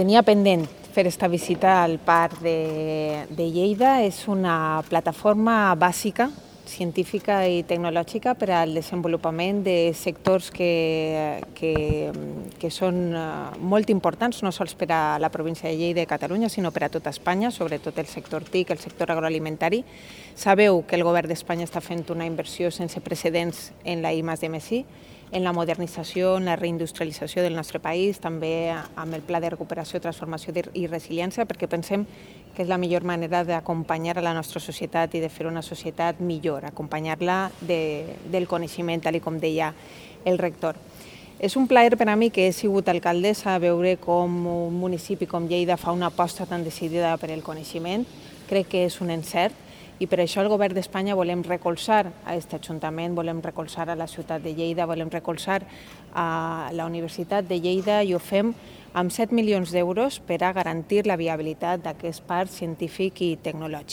Tenia pendent fer esta visita al Parc de Lleida. És una plataforma bàsica, científica i tecnològica per al desenvolupament de sectors que són molt importants, no sols per a la província de Lleida i Catalunya, sinó per a tota Espanya, sobretot el sector TIC, el sector agroalimentari. Sabeu que el govern d'Espanya està fent una inversió sense precedents en la I+D+I, en la modernització, en la reindustrialització del nostre país, també amb el Pla de Recuperació, Transformació i Resiliència, perquè pensem que és la millor manera d'acompanyar a la nostra societat i de fer una societat millor, acompanyar-la del coneixement, tal com deia el rector. És un plaer per a mi, que he sigut alcaldessa, veure com un municipi com Lleida fa una aposta tan decidida per el coneixement. Crec que és un encert, i per això el govern d'Espanya volem recolzar a aquest ajuntament, volem recolzar a la ciutat de Lleida, volem recolzar a la Universitat de Lleida, i ho fem amb 7 milions d'euros per a garantir la viabilitat d'aquest parc científic i tecnològic.